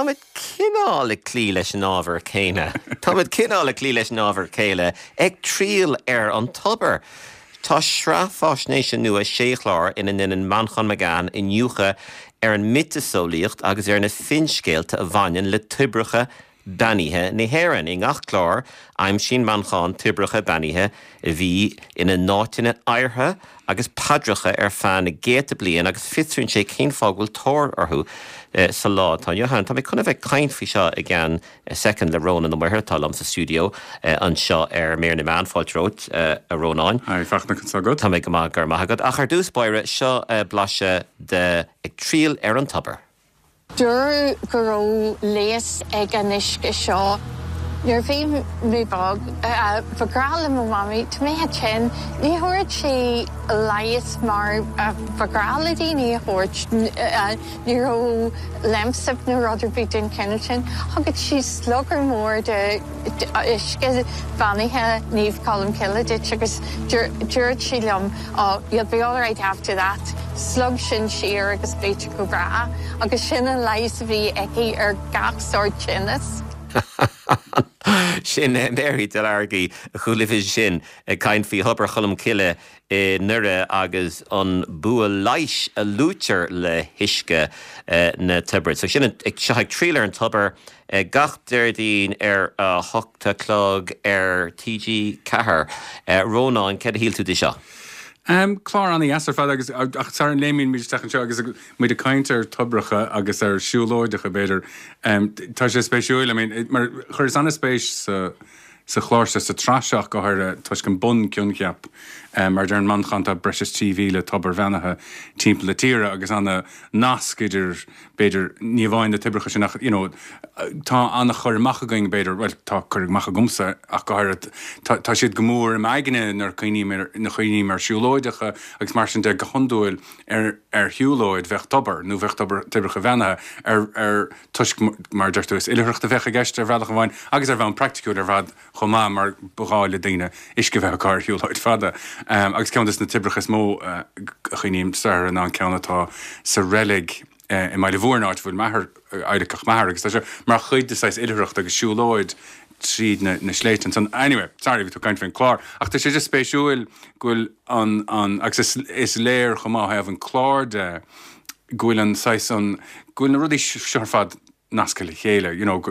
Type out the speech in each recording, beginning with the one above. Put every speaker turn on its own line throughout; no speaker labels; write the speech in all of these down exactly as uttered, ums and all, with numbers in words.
Táimid cineál ag cloí leis an ábhar céanna. Táimid cineál ag cloí leis an ábhar céanna ag triall ar an tobar. Tá sraith faisnéise nua sé chlár ina ndéanann Manchán Magan iniúchadh ar an miotaseolaíocht agus ar na finscéalta a bhaineann le toibreacha beannaithe na hÉireann. I ngach clár aimsíonn Manchán toibreacha beannaithe a bhí ina n-áiteanna adhartha agus paidreacha ar feadh na gcéadta bliain agus fiosraíonn sé cén fáth go bhfuil tóir orthu eh, sa lá atá inniu ann. Tá mé chun a bheith ag caint faoi seo i gceann soicind le Rónán Ó Muirthile atá liom sa stiúideo eh, anseo ar Mír na Meán fáilte romhat eh, a Rónáin.
Haigh Fachtna conas tá agat.
Tá mé go maith go raibh maith agat ach ar dtús báire seo blaiseadh de ag triall ar an tobar.
Dúradh go raibh leigheas ag an uisce seo. Nuair bhí mé beag ba ghnách le mo mhamaí tá mé tinn ní thabharfadh sí leigheas mar ba ghnách le daoine a thabhairt ní raibh Lemsip nó rud ar bith den chineál sin. Thugadh sí sliogar mór de uisce beannaithe Naomh Colm Cille duit agus dúirt sí liom oh, you'll be all right after that. Slog sin siar agus beidh tú go breá, agus sin an leigheas a bhí aici ar gach sórt tinnis.
Sin Mary Delargy chuala sin ag caint faoi Thobar Cholm Cille i nDoire agus an bua leighis a luaitear le huisce na toibre. So sin seo ag triall ar an tobar gach Déardaoin ar a hocht a chlog ar TG Ceathair. Rónán céard a shíl tú de seo.
Um, clár an-deas ar fad agus ach sara léimimid isteach anseo agus muid ag caint ar toibreacha agus ar siúlóideacha b'fhéidir. Um, tá sé spéisiúil, I mean, mar chuireas an-spéis sa sa chlár sa tsraith go háirithe toisc an bunchoincheap um, mar deir Manchán tá breis is trí mhíle tobar beannaithe timpeall na tíre agus an nasc idir b'fhéidir ní amháin na toibreacha sin ach you know, tá an-chur amach againn b'fhéidir well tá cur amach agamsa ach go háirithe tá, tá siad go mór im aigne nuair na cuimhním ar siúlóideacha agus mar sin de go hiondúil ar ar shiúlóid bheadh tobar nó bheadh tobar toibreacha beannaithe ar ar toisc mar deir tú is oilithreacht a bheadh i gceist ar bhealach amháin agus ar bhonn praiticiúil ar fad chomh maith mar ba ghá le daoine uisce bheith acu ar shiúlóid fada. Um, agus ceann des na toibreacha is mó uh, a chuimhním air ná an ceann atá sa reilig uh, i mBaile Mhúirne áit bhfuil m'athair adhlactha m'athair agus tá sé mar chuid de saghas oilithreacht agus siúlóid tríd na, na sléibhte san anyway sorry bhí tú caint faoin chlár ach tá sé just spéisiúil go bhfuil an an agus is, is léir chomh maith an clár de go bhfuil an saghas an go bhfuil na rudaí seo ar fad nasctha le chéile you know,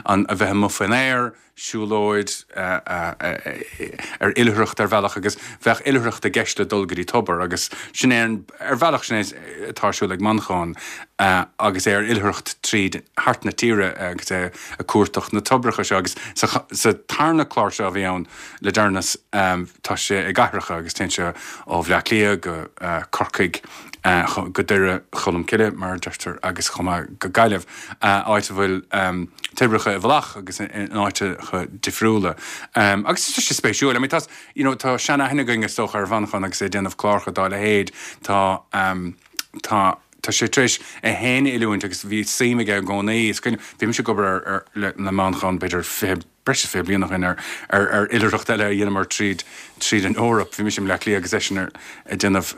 an a bheith amuigh faoin aer, siúlóid uh, uh, uh, ar oilithreacht ar bhealach agus bheadh oilithreacht i gceist le dul go dtí tobar agus sin é ar bhealach sin é atá ar siúl ag Manchán uh, agus é ar oilithreacht tríd thart na tíre agus é ag cuartach na toibreacha seo agus sa, sa tarna clár seo a bhí ann le deireanas um, tá sé i gcathracha agus téann sé ó Bhaile Átha Cliath go uh, Corcaigh uh, go Doire Cholm Cille mar deirtear agus chomh maith go Gaillimh uh, áit a bhfuil um, toibreacha i bhfolach agus in áiteacha difriúla. Um, agus tá sé spéisiúil, I mean, tá you know, tá seanaithne againn is dócha ar Mhanchán agus é déanamh cláracha dá leithéid tá um, tá Tá sé tar éis é féin a oiliúint agus bhí suim aige i gcónaí bhí mise ag obair ar le, le Manchán b'fhéidir breis is fiche bliain ó shin ar ar ar oilithreacht eile a dhéanamar tríd tríd an Eoraip, bhí mise i mBaile Átha Cliath agus eisean ar ag déanamh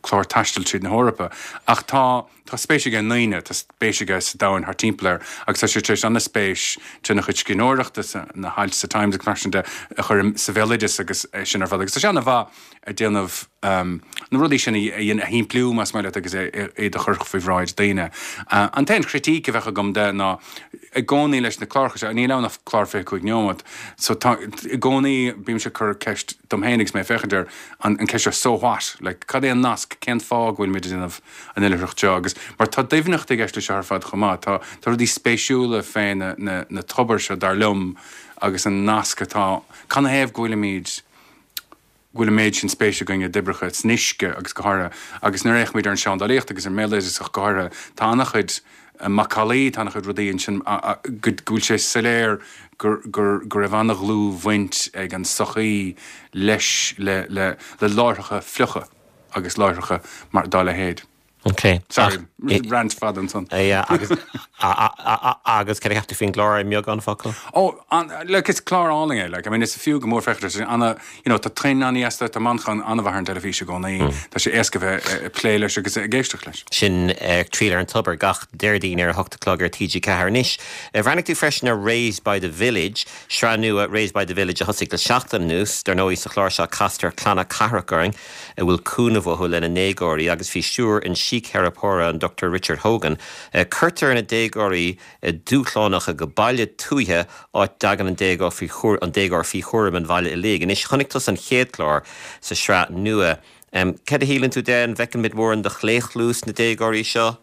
clár taistil tríd na hEorpa. Ach tá tá spéis aige i ndaoine, tá spéis aige sa domhan thart timpeall air, agus tá sé tar éis an-spéis trína chuid scríbhneoireachta na hailt sa Times agus mar sin de a chur sa bhéaloideas agus sin ar fad. Agus tá sé an-mhaith ag déanamh um, na rudaí sin a a shimpliú más maith leat agus é a chur faoi bhráid daoine. Uh, an t-aon chritíc a bheadh agam de ná i gcónaí leis na cláracha seo, níl ann ach clár fiche cúig nóiméad, so tá i gcónaí bímse ag cur ceist dom féin agus mé ag féachaint air an, an ceist seo so what, like, cad é an nasc cén fáth go bhfuil muid ag déanamh an oilithreacht seo agus mar tá doimhneacht i gceist leis seo ar fad chomh maith, tá tá rudaí spéisiúla fé na, na, na tobair seo dar liom agus an nasc atá canathaobh go bhfuilimid go bhfuil an méid sin spéis againn i dtoibreacha san uisce agus go háirithe agus nuair a fhéachaimid ar an seandálaíocht agus ar an mbéaloideas ach go háirithe tá an-chuid macallaí tá an-chuid rudaí ansin go bhfuil sé soiléir gur gur go raibh an-dhlúthbhaint ag an sochaí leis le le le láithreacha fliucha agus láithreacha mar dá leithéid.
Okay.
Sorry, rant fada ansan.
agus agus cad a cheap tú faoin gclár i mbeagán focal?
Oh, an, like, is clár álainn é, like, I mean, is fiú go mór féachaint anna, you know, tá tuin an-éasca tá Manchán an-mhaith ar an teilifís i gcónaí, mm. Tá sé éasca bheith ag plé leis agus ag éisteacht leis.
Sin uh, Triail ar an Tobar gach Déardaoin ar a hocht a chlog ar TG Ceathair anois. Bhreathnaigh tú freisin ar Raised by the Village, sraith nua Raised by the Village a thosaigh le seachtain anuas, dar ndóigh sa chlár seo castar clanna cathrach orainn a bhfuil cúnamh uathu lena ndéagóirí agus faoi stiúir an síctheiripeora an Dr. Richard Hogan. Uh, cuirtear na déagóirí uh, dúshlánacha go baile tuaithe áit dtagann an déagóir faoi an déagóir faoi chúram an bhaile uilig. Anois chonaic tusa an chéad chlár sa sraith nua. Um, Cad a shíleann tú de an bhfeiceann muid mórán de chlaochlú sna déagóirí seo?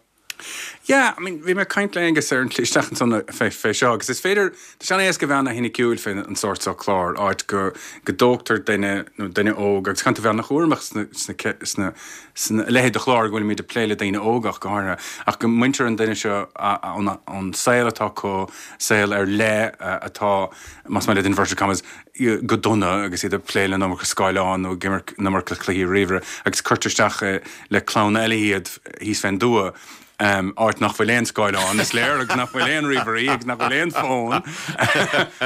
Yeah, I mean, bhí mé ag caint le Aengus ar an isteach ansan fé fé seo, agus is féidir tá sé an-éasca bheith an-soiniciúil fé an sórt seo clár áit go go dtógtar duine nó duine óg agus caithfidh tú bheith an-chúramach sna sna sna sna leithéid de chlár go bhfuilimid ag plé le daoine óga ach go háirithe ach go mbaintear an duine seo ón saol atá acu saol ar leith atá más maith leat inverted commas go dona agus iad ag plé le an iomarca scáileán nó ag imirt an iomarca cluichí ríomhaire agus cuirtear isteach le clann eile iad thíos fén dtuath. Um, áit nach bhfuil aon scáileán is léir agus nach bhfuil aon ríomhairí agus nach bhfuil aon fón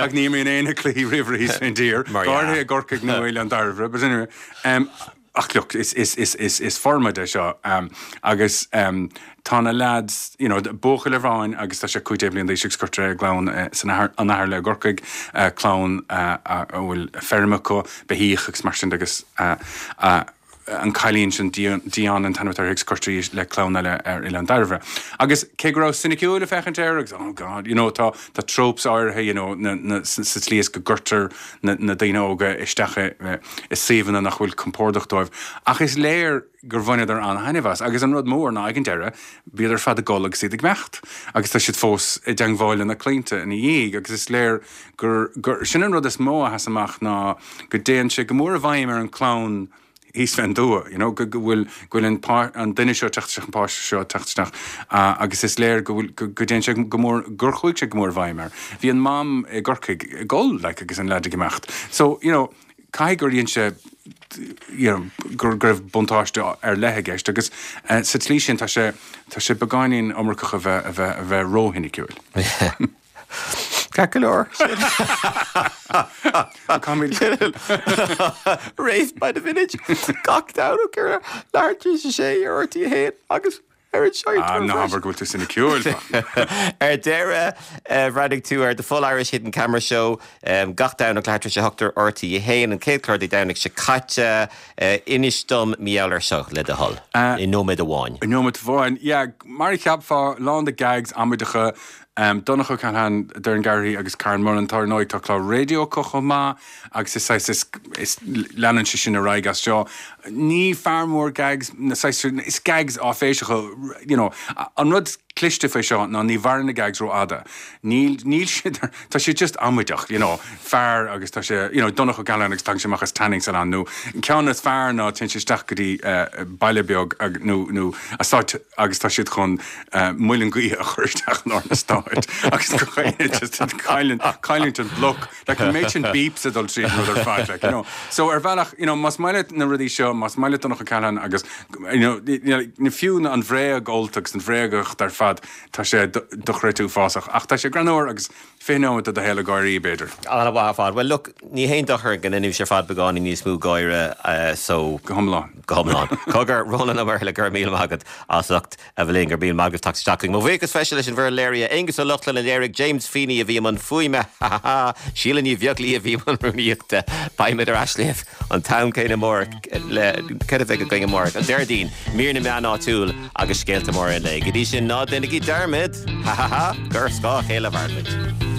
ach ní imríonn éinne cluichí ríomhairí thíos fén dtír Gáirthe i gCorcaigh nó Oileán Dairbhre, but anyway, um, ach look, is, is, is, is, is formáid é seo um, agus um, tá na lads you know, buachaill amháin agus tá sé cúig déag bliain d'aois agus cuirtear i gclann uh, san an athair le i gCorcaigh uh, clann uh, a bhfuil feirm acu beithíoch agus mar sin agus uh, uh, an cailín sin Dion an t-ainm atá uirthi agus cuirtear í le clann eile ar Oileán Dairbhre. Agus cé go raibh soiniciúil ag féachaint air agus oh God, you know, tá tá tropes áirithe you know, na, na, sa tslí is go gcuirtear na, na daoine óga isteach i, i suíomhanna nach bhfuil compordach dóibh. Ach is léir gur bhaineadar an-thaitneamh as. Agus an rud mór ná ag an deireadh, bhíodar ar fad ag gol agus iad ag imeacht. Agus tá siad fós i dteangmháil lena gclaonta ina dhiaidh, agus is léir gur, gur sin an rud is mó a sheas amach ná go dtéann sé go mór i bhfeidhm ar an chlann thíos fén dtuath, you know, go bhfuil go bhfuil an, an duine seo teacht isteach an páiste seo teacht isteach uh, agus is léir go bhfuil go, go dtéann sé go mór gur chuaigh sé go mór i bhfeidhm air. Bhí an mam i gCorcaigh ag gol like, agus an leaid ag imeacht. So, you know, caithfidh gur dhein sé you know, gur go raibh buntáiste ar leith i gceist agus uh, sa tslí sin tá sé tá sé beagáinín iomarcach a bheith a bheith a bheith róshoiniciúil.
Ceart go leor. Raised by the village gach Domhnach ar leathuair tar éis a sé ar RTÉ a haon agus ar an seo
Ah, ná habair go bhfuil tú soiniciúil.
Ar deireadh bhreathnaigh tú ar the Full Irish Hidden Camera Show um, gach Domhnach leathuair tar éis a hocht ar RTÉ a haon an chéad chlár Dé Domhnaigh seo caite uh, inis dom mar gheall air seo le do thoil i nóiméad amháin.
I nóiméad amháin, yeah, mar a cheapfá lán de gags amaideacha Um, Donncha O'Callaghan, Doireann Garrihy agus Karen Mullen tá nóid tá clár raidió acu chomh maith agus is is, is, is leanann sé sin ar aghaidh as seo. Ní fear mór gags na is gags áiféiseacha you know, an rud cliste fé seo ná ní mhaireann na gags rófhada. Níl níl siad tá sé just amaideach, you know, fear agus tá sé you know, Donncha O'Callaghan agus tagann sé amach as tanning salon nó ceann is fearr ná téann sé isteach go dtí uh, baile beag nó nó eastát agus tá siad chun uh, muileann gaoithe a chur isteach in an eastát agus go just cailliúint an bloc like an méid sin beeps a dul tríd rud ar fad like, you know. So ar bhealach you know, más maith leat na rudaí seo más maith leat Donncha O'Callaghan agus you know, na fiú na an bhréag ólta agus an bhréagacht ar fad tá sé dochreidte uafásach ach tá sé greannmhar agus fiche nóiméad de do shaol ag gáirí b'fhéidir.
An-mhaith ar fad. Well look, ní haon dochar go ndéanfaidh sé ar fad beagáinín níos mó gáire uh, so
go hiomlán.
Go hiomlán. Cogar Ronan Ó Muirthile go raibh míle maith agat as ucht a bheith linn go raibh míle maith agat teacht isteach. Mo bhuíochas freisin leis an bhfoireann léirithe Aonghus Ó Lochlainn a léirigh James Feeney a bhí i mbun fuaime Síle Ní Bheaglaoí a bhí i mbun rúnaíochta Beimid ar ais libh an t-am céanna amárach le cad a bheidh againn amárach an Déardaoin mír na meán áitiúil agus scéalta móra an lae. Go dtí sin ná déanaigí dearmad ha ha ha gur scáth a chéile a mhairimid.